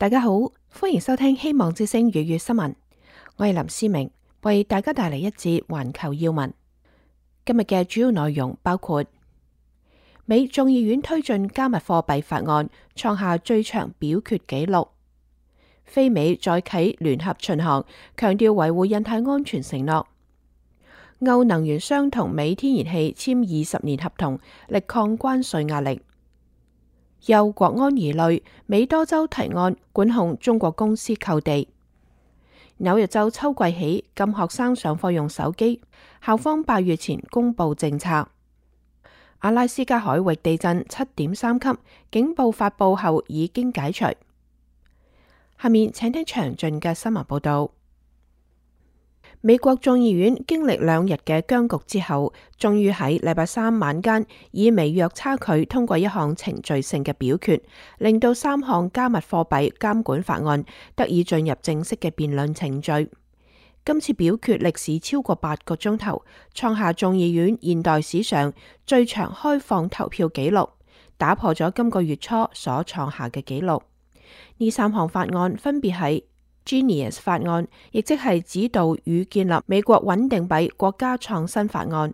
大家好，歡迎收聽希望之聲粵語新聞。我係林思明，為大家帶嚟一節環球要聞。今日嘅主要內容包括：美眾議院推進加密貨幣法案，創下最長表決紀錄；非美再啟聯合巡航，強調維護印太安全承諾；歐能源商同美天然氣簽20年合同，力抗關稅壓力。又國安疑慮，美多州提案管控中國公司購地。紐約州秋季起禁學生上課用手機，校方8月前公布政策。阿拉斯加海域地震7.3級，警報發布後已經解除。下面請聽詳盡嘅新聞報道。美國眾議院經歷2日嘅僵局之後，終於喺禮拜三晚間以微弱差距通過一項程序性嘅表決，令到3項加密貨幣監管法案得以進入正式嘅辯論程序。今次表決歷時超過8個鐘頭，創下眾議院現代史上最長開放投票紀錄，打破咗今個月初所創下嘅紀錄。呢3項法案分別係Genius 法案，亦即係指導與建立美國穩定幣國家創新法案、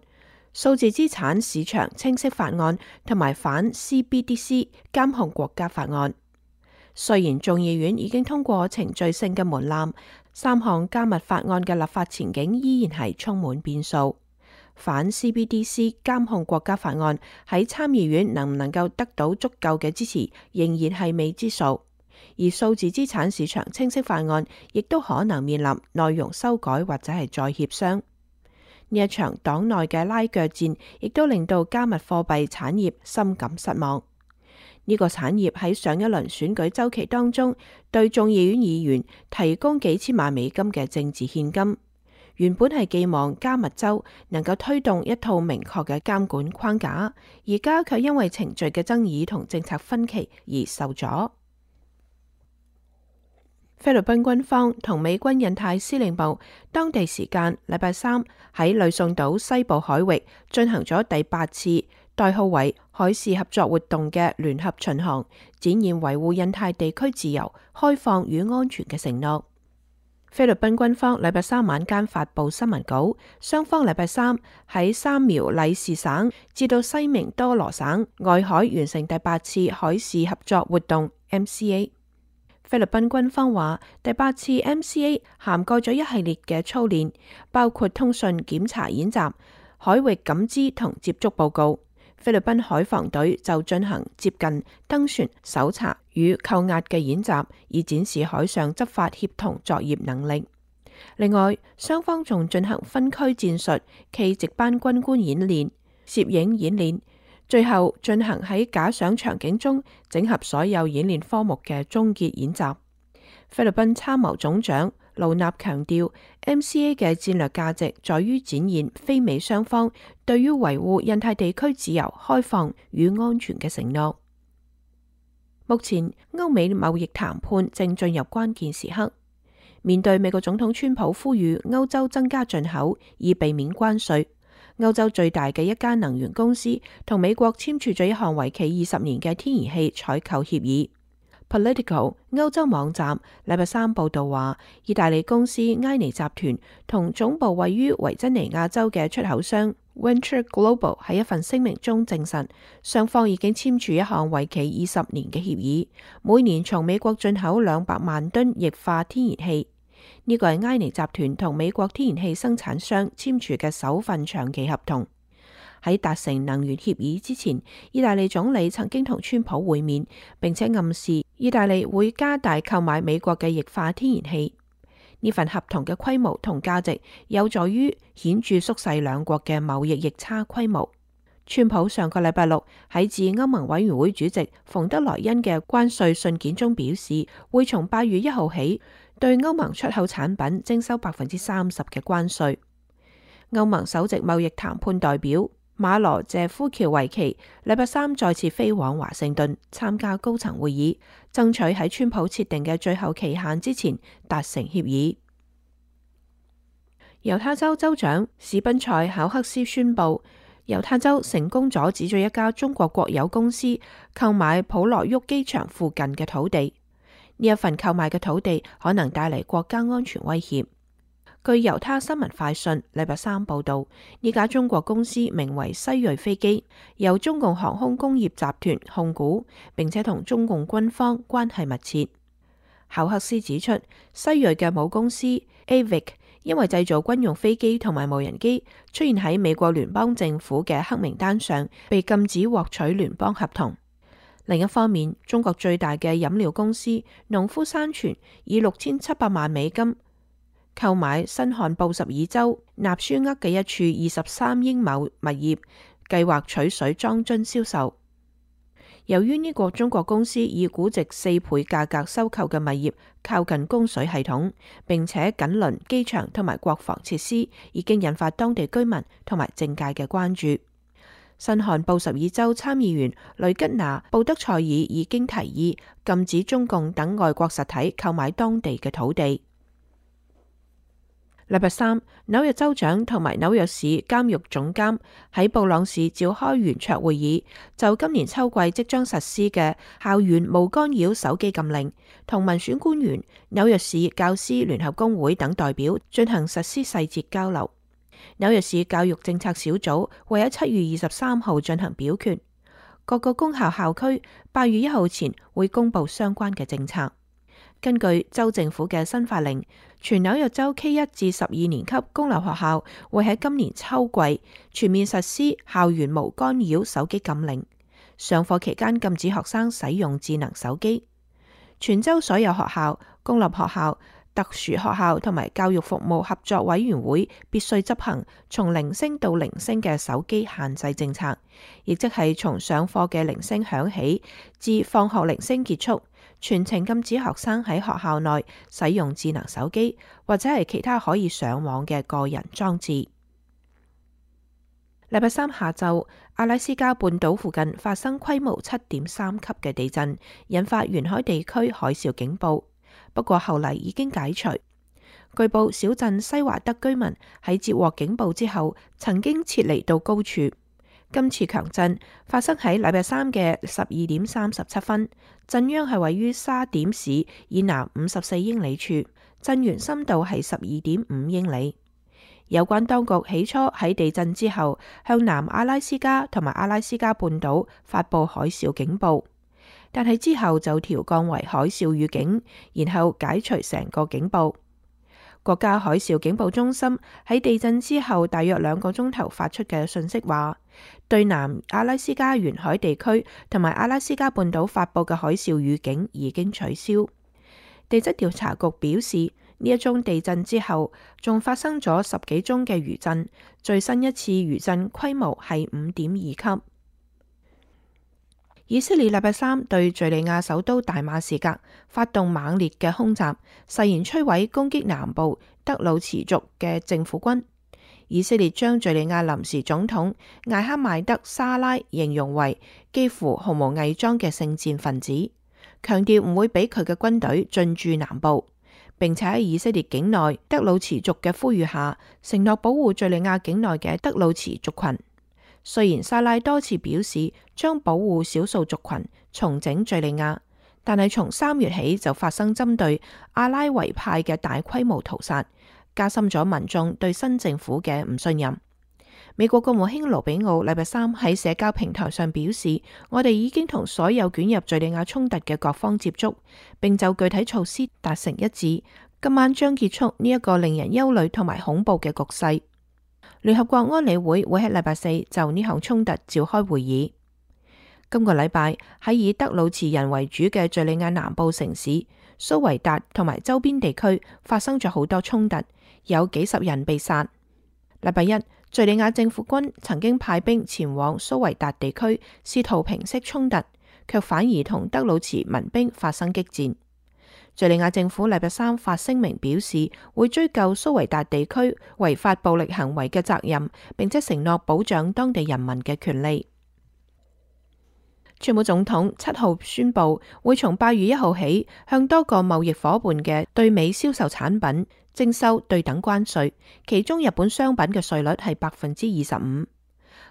數字資產市場清晰法案同埋反 CBDC 監控國家法案。雖然眾議院已經通過程序性嘅門檻，3項加密法案嘅立法前景依然係充滿變數。反 CBDC 監控國家法案喺參議院能唔能夠得到足夠嘅支持，仍然係未知數。而數字資產市場清晰法案亦都可能面臨內容修改或者係再協商。呢一場黨內嘅拉鋸戰亦都令到加密貨幣產業深感失望。呢個產業喺上一輪選舉週期當中對眾議院議員提供幾千萬美金嘅政治獻金，原本係寄望加密州能夠推動一套明確嘅監管框架，而家卻因為程序嘅爭議同政策分歧而受阻。菲律賓軍方同美軍印太司令部當地時間禮拜三喺呂宋島西部海域進行咗第8次代號為海事合作活動嘅聯合巡航，展現維護印太地區自由、開放與安全嘅承諾。菲律賓軍方禮拜三晚間發布新聞稿，雙方禮拜三喺三苗里士省至到西明多羅省外海完成第8次海事合作活動 MCA。菲律賓軍方話，第8次 MCA 涵蓋咗一系列嘅操練，包括通訊檢查演習、海域感知同接觸報告。菲律賓海防隊就進行接近登船、搜查與扣押嘅演習，以展示海上執法協同作業能力。另外，雙方仲進行分區戰術暨值班軍官演練、攝影演練。最後進行喺假想場景中整合所有演練科目嘅終結演習。菲律賓參謀總長盧納強調 ，MCA 嘅戰略價值在於展現非美雙方對於維護印太地區自由、開放與安全嘅承諾。目前歐美貿易談判正進入關鍵時刻，面對美國總統川普呼籲歐洲增加進口以避免關稅。歐洲最大嘅一間能源公司同美國簽署咗一項為期20年嘅天然氣採購協議。Politico 歐洲網站禮拜三報道話，意大利公司埃尼集團同總部位於維珍尼亞州嘅出口商 Venture Global 喺一份聲明中證實，雙方已經簽署一項為期20年嘅協議，每年從美國進口200萬噸液化天然氣。呢個係埃尼集團同美國天然氣生產商簽署嘅首份長期合同。喺達成能源協議之前，意大利總理曾經同川普會面，並且暗示意大利會加大購買美國嘅液化天然氣。呢份合同嘅規模同價值有助於顯著縮細兩國嘅貿易逆差規模。川普上個禮拜六喺致歐盟委員會主席馮德萊恩嘅關稅信件中表示，會從8月1號起對歐盟出口產品徵收30%嘅關稅。歐盟首席貿易談判代表馬羅謝夫喬維奇禮拜三再次飛往華盛頓參加高層會議，爭取喺川普設定嘅最後期限之前達成協議。猶他州州長史賓塞考克斯宣布，猶他州成功阻止咗一家中國國有公司購買普羅沃機場附近嘅土地。呢一份購買嘅土地可能帶嚟國家安全威脅。據猶他新聞快訊禮拜三報道，呢家中國公司名為西銳飛機，由中共航空工業集團控股，並且同中共軍方關係密切。考克斯指出，西銳嘅母公司 Avic 因為製造軍用飛機同埋無人機，出現喺美國聯邦政府嘅黑名單上，被禁止獲取聯邦合同。另一方面，中國最大嘅飲料公司農夫山泉以$6700萬購買新罕布什爾州納舒厄嘅一處23英畝物業，計劃取水裝樽銷售。由於呢個中國公司以估值4倍價格收購嘅物業靠近供水系統，並且緊鄰機場同埋國防設施，已經引發當地居民同埋政界嘅關注。新罕布什爾州參議員雷吉娜·布德塞爾已經提議禁止中共等外國實體購買當地嘅土地。禮拜三，紐約州長同埋紐約市監獄總監喺布朗市召開圓桌會議，就今年秋季即將實施嘅校園無干擾手機禁令，同民選官員、紐約市教師聯合工會等代表進行實施細節交流。紐約市教育政策小組會喺7月23號進行表決，各個公校校區8月1號前會公布相關嘅政策。根據州政府嘅新法令，全紐約州 K1 至12年級公立學校會喺今年秋季全面實施校園無干擾手機禁令，上課期間禁止學生使用智能手機。全州所有學校、公立學校、特殊學校同埋教育服務合作委員會必須執行從鈴聲到鈴聲嘅手機限制政策，亦即係從上課嘅鈴聲響起至放學鈴聲結束，全程禁止學生喺學校內使用智能手機或者係其他可以上網嘅個人裝置。禮拜三下晝，阿拉斯加半島附近發生規模7.3級嘅地震，引發沿海地區海嘯警報。不過後嚟已經解除。據報小鎮西華德居民喺接獲警報之後，曾經撤離到高處。今次強震發生喺禮拜三嘅12:37，震央係位於沙點市以南54英里處，震源深度係12.5英里。有關當局起初喺地震之後向南阿拉斯加同埋阿拉斯加半島發佈海嘯警報，但係之後就調降為海嘯預警，然後解除成個警報。國家海嘯警報中心喺地震之後大約2個鐘頭發出嘅訊息話，對南阿拉斯加沿海地區同埋阿拉斯加半島發佈嘅海嘯預警已經取消。地質調查局表示，呢一宗地震之後仲發生咗10幾宗嘅餘震，最新一次餘震規模係5.2級。以色列禮拜三對敘利亞首都大馬士革發動猛烈嘅空襲，誓言摧毀攻擊南部德魯茨族嘅政府軍。以色列將敘利亞臨時總統艾哈邁德沙拉形容為幾乎毫無偽裝嘅聖戰分子，強調唔會俾佢嘅軍隊進駐南部，並且喺以色列境內德魯茨族嘅呼籲下，承諾保護敘利亞境內嘅德魯茨族群。雖然沙拉多次表示將保護少數族群、重整敘利亞，但係從3月起就發生針對阿拉維派嘅大規模屠殺，加深咗民眾對新政府嘅唔信任。美國國務卿盧比奧禮拜三喺社交平台上表示，我哋已經同所有捲入敘利亞衝突嘅各方接觸，並就具體措施達成一致。今晚將結束呢一個令人憂慮同埋恐怖嘅局勢。聯合國安理會會喺禮拜4就呢項衝突召開會議。今個禮拜喺以德魯茨人為主嘅敘利亞南部城市蘇維達同埋周邊地區發生咗好多衝突，有幾十人被殺。禮拜一，敘利亞政府軍曾經派兵前往蘇維達地區，試圖平息衝突，卻反而同德魯茨民兵發生激戰。敘利亞政府禮拜三發聲明表示，會追究蘇維達地區違法暴力行為嘅責任，並且承諾保障當地人民嘅權利。川普總統7號宣布，會從8月1號起向多個貿易夥伴嘅對美銷售產品徵收對等關稅，其中日本商品嘅稅率係25%。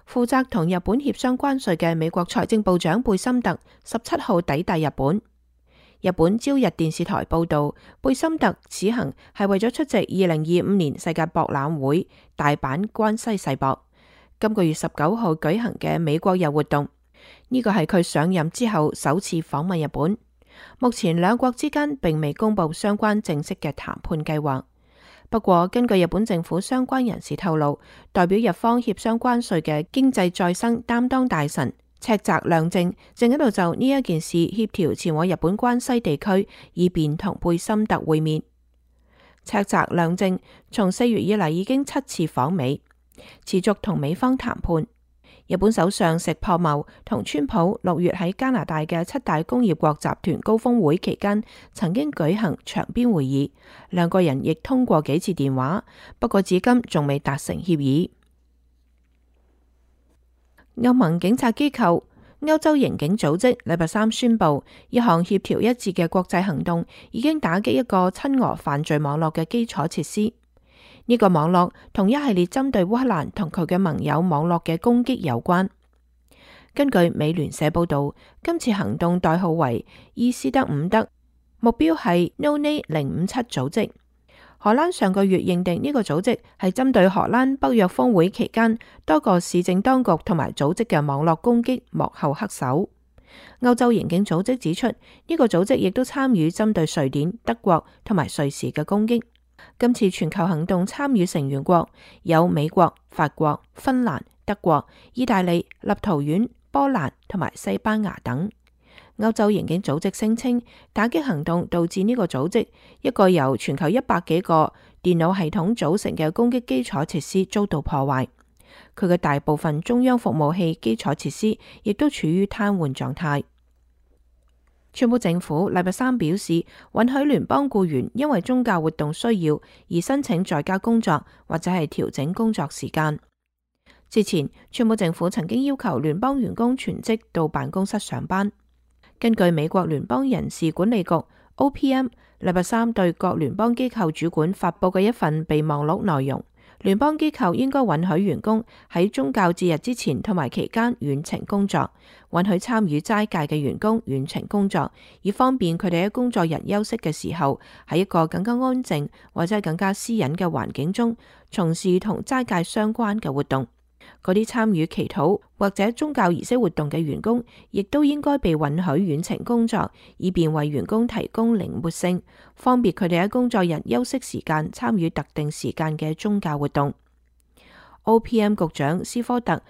負責同日本協商關稅嘅美國財政部長貝森特17號抵達日本。日本朝日電視台報道，貝森特此行係為咗出席2025年世界博覽會大阪關西世博今個月19號舉行嘅美國日活動。呢個係佢上任之後首次訪問日本。目前兩國之間並未公布相關正式嘅談判計劃。不過，根據日本政府相關人士透露，代表日方協商關稅嘅經濟再生擔當大臣赤澤亮正正喺度就呢一件事協調前往日本關西地區，以便同貝森特會面。赤澤亮正從4月以嚟已經7次訪美，持續同美方談判。日本首相石破茂同川普6月喺加拿大嘅7大工業國集團高峰會期間曾經舉行場邊會議，兩個人亦通過幾次電話，不過至今仲未達成協議。歐盟警察機構歐洲刑警組織禮拜三宣布，一項協調一致嘅國際行動已經打擊一個親俄犯罪網絡嘅基礎設施。呢個網絡同一系列針對烏克蘭同佢嘅盟友網絡嘅攻擊有關。根據美聯社報道，今次行動代號為伊斯德伍德，目標係 No-Name 057組織。荷蘭上個月認定呢個組織係針對荷蘭北約峰會期間多個市政當局同埋組織嘅網絡攻擊幕後黑手。歐洲刑警組織指出，呢個組織亦都參與針對瑞典、德國同埋瑞士嘅攻擊。今次全球行動參與成員國有美國、法國、芬蘭、德國、意大利、立陶宛、波蘭同埋西班牙等。歐洲刑警組織聲稱，打擊行動導致呢個組織一個由全球100幾個電腦系統組成嘅攻擊基礎設施遭到破壞，佢嘅大部分中央服務器基礎設施亦都處於癱瘓狀態。川普政府禮拜三表示，允許聯邦僱員因為宗教活動需要而申請在家工作或者係調整工作時間。之前，川普政府曾經要求聯邦員工全職到辦公室上班。根據美國聯邦人事管理局 OPM 禮拜三對各聯邦機構主管發佈嘅一份備忘錄內容，聯邦機構應該允許員工喺宗教節日之前同埋期間遠程工作，允許參與齋戒嘅員工遠程工作，以方便佢哋喺工作日休息嘅時候喺一個更加安靜或者係更加私隱嘅環境中從事同齋戒相關嘅活動。嗰啲參與祈禱或者宗教儀式活動嘅員工，亦都應該被允許遠程工作，以便為員工提供靈活性，方便佢哋喺工作日休息時間參與特定時間嘅宗教活動。OPM 局長斯科特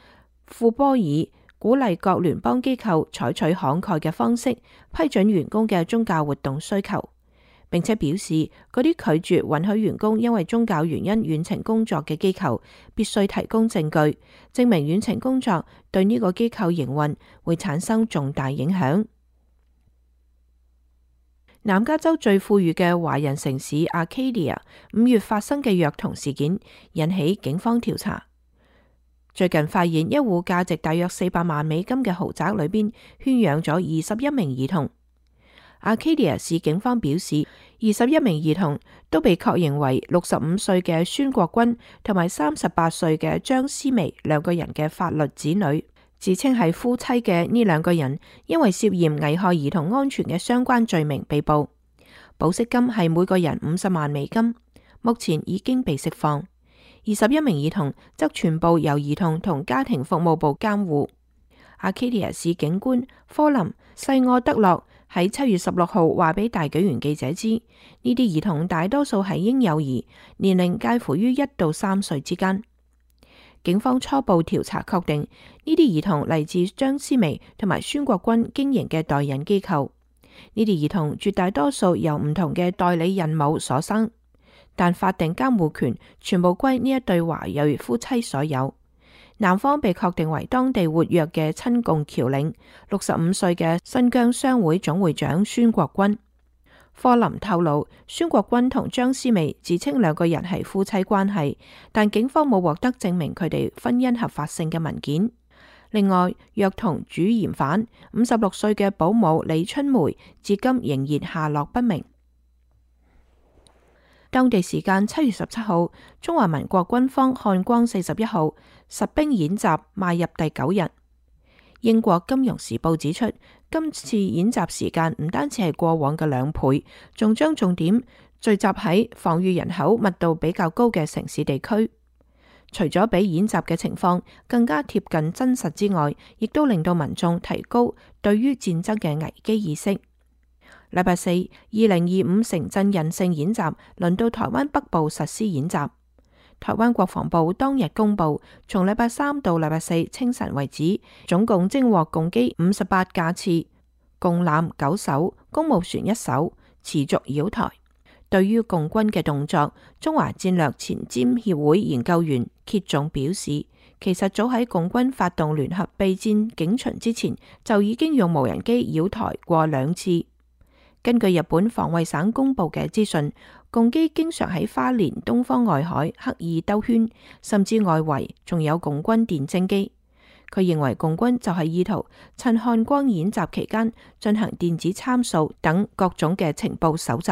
庫波爾鼓勵各聯邦機構採取慷慨嘅方式批准員工嘅宗教活動需求，並且表示嗰啲拒絕允許員工因為宗教原因遠程工作嘅機構必須提供證據，證明遠程工作對呢個機構營運會產生重大影響。南加州最富裕嘅華人城市 Arcadia 5月發生嘅虐童事件引起警方調查。最近發現一戶價值大約400萬美金嘅豪宅裏邊圈養咗21名兒童。Arcadia 市警方表示，21名兒童都被確認為65歲嘅孫國軍同埋38歲嘅張思薇兩個人嘅法律子女。自稱係夫妻嘅呢兩個人，因為涉嫌危害兒童安全嘅相關罪名被捕，保釋金係每個人50萬美金，目前已經被釋放。21名兒童則全部由兒童同家庭服務部監護。Arcadia 市警官科林西奧德洛喺7月16號話俾大紀元記者知，呢啲兒童大多數係嬰幼兒，年齡介乎於1到3歲之間。警方初步調查確定，呢啲兒童嚟自張思薇同埋孫國軍經營嘅代孕機構。呢啲兒童絕大多數由唔同嘅代理孕母所生，但法定監護權全部歸呢一對華裔夫妻所有。男方被確定為當地活躍嘅親共僑領65歲嘅新疆商會總會長孫國軍。科林透露，孫國軍同張思薇自稱兩個人係夫妻關係，但警方冇獲得證明佢哋婚姻合法性嘅文件。另外，虐童主嫌犯56歲嘅保姆李春梅至今仍然下落不明。當地時間7月17號，中華民國軍方漢光41號實兵演習邁入第9日。英國金融時報指出，今次演習時間唔單止係過往嘅2倍，仲將重點聚集喺防禦人口密度比較高嘅城市地區。除咗比演習嘅情況更加貼近真實之外，亦都令到民眾提高對於戰爭嘅危機意識。禮拜四，2025城鎮韌性演習輪到台灣北部實施演習。台灣國防部當日公布，從禮拜三到禮拜四清晨為止，總共偵獲共機58架次、共艦9艘、公務船1艘，持續擾台。對於共軍嘅動作，中華戰略前瞻協會研究員揭仲表示，其實早喺共軍發動聯合備戰警巡之前，就已經用無人機擾台過2次。根據日本防衛省公布嘅資訊，共機經常喺花蓮東方外海刻意兜圈，甚至外圍仲有共軍電偵機。佢認為共軍就係意圖趁漢光演習期間進行電子參數等各種嘅情報搜集。